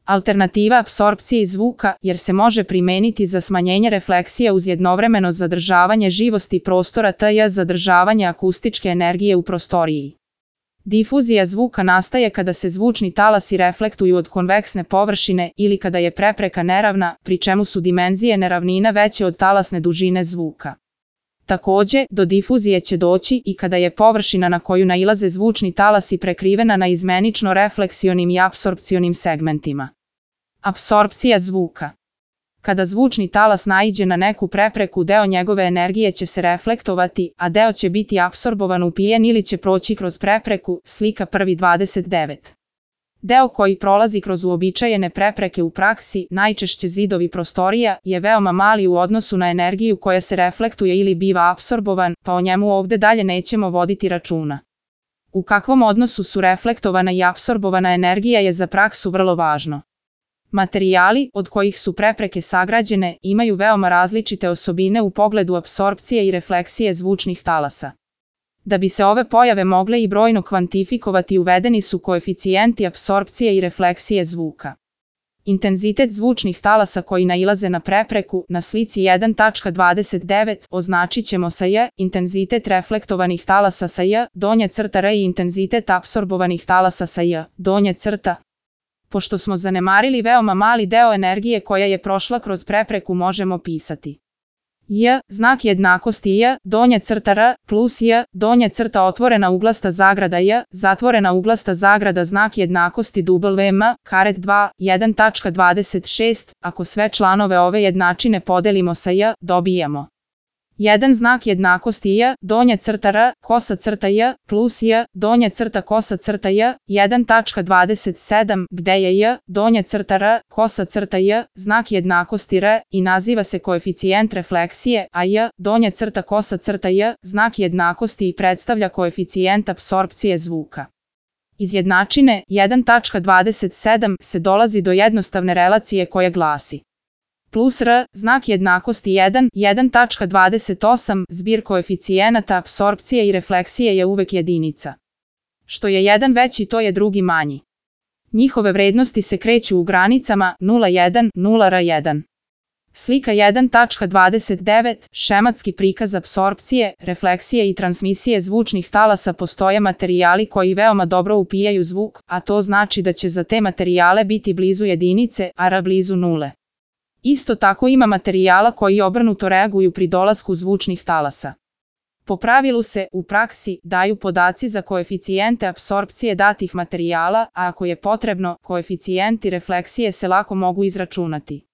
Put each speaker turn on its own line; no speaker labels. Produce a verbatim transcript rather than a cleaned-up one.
Alternativa apsorpciji zvuka, jer se može primeniti za smanjenje refleksija uz jednovremeno zadržavanje živosti prostora tj. zadržavanje akustičke energije u prostoriji. Difuzija zvuka nastaje kada se zvučni talasi reflektuju od konveksne površine ili kada je prepreka neravna, pri čemu su dimenzije neravnina veće od talasne dužine zvuka. Takođe, do difuzije će doći i kada je površina na koju nailaze zvučni talasi prekrivena na izmenično refleksionim i apsorpcionim segmentima. Apsorpcija zvuka. Kada zvučni talas naiđe na neku prepreku, deo njegove energije će se reflektovati, a deo će biti apsorbovan, upijen ili će proći kroz prepreku, slika prvi dvadeset devet. Deo koji prolazi kroz uobičajene prepreke u praksi, najčešće zidovi prostorija, je veoma mali u odnosu na energiju koja se reflektuje ili biva apsorbovan, pa o njemu ovde dalje nećemo voditi računa. U kakvom odnosu su reflektovana i apsorbovana energija je za praksu vrlo važno. Materijali, od kojih su prepreke sagrađene, imaju veoma različite osobine u pogledu apsorpcije i refleksije zvučnih talasa. Da bi se ove pojave mogle i brojno kvantifikovati, uvedeni su koeficijenti apsorpcije i refleksije zvuka. Intenzitet zvučnih talasa koji nailaze na prepreku, na slici jedan tačka dvadeset devet, označit ćemo sa J, intenzitet reflektovanih talasa sa J, donja crta R i intenzitet apsorbovanih talasa sa J, donja crta. Pošto smo zanemarili veoma mali deo energije koja je prošla kroz prepreku, možemo pisati J, znak jednakosti J, donja crta R, plus J, donja crta otvorena uglasta zagrada J, zatvorena uglasta zagrada znak jednakosti W M, karet dva, jedan tačka dvadeset šest, ako sve članove ove jednačine podelimo sa J, dobijamo jedan znak jednakosti J, donja crta R, kosa crta J, plus J, donja crta kosa crta J, jedan tačka dvadeset sedam, gde je J, donja crta R, kosa crta J, znak jednakosti R i naziva se koeficijent refleksije, a J, donja crta kosa crta J, znak jednakosti i predstavlja koeficijent apsorpcije zvuka. Iz jednačine jedan tačka dvadeset sedam se dolazi do jednostavne relacije koja glasi plus R, znak jednakosti jedan, jedan tačka dvadeset osam, zbir koeficijenata apsorpcije i refleksije je uvek jedinica. Što je jedan veći, to je drugi manji. Njihove vrednosti se kreću u granicama nula zarez jedan, nula zarez jedan. Slika jedan tačka dvadeset devet, šematski prikaz apsorpcije, refleksije i transmisije zvučnih talasa. Postoje materijali koji veoma dobro upijaju zvuk, a to znači da će za te materijale biti blizu jedinice, a R blizu nule. Isto tako ima materijala koji obrnuto reaguju pri dolasku zvučnih talasa. Po pravilu se, u praksi, daju podaci za koeficijente apsorpcije datih materijala, a ako je potrebno, koeficijenti refleksije se lako mogu izračunati.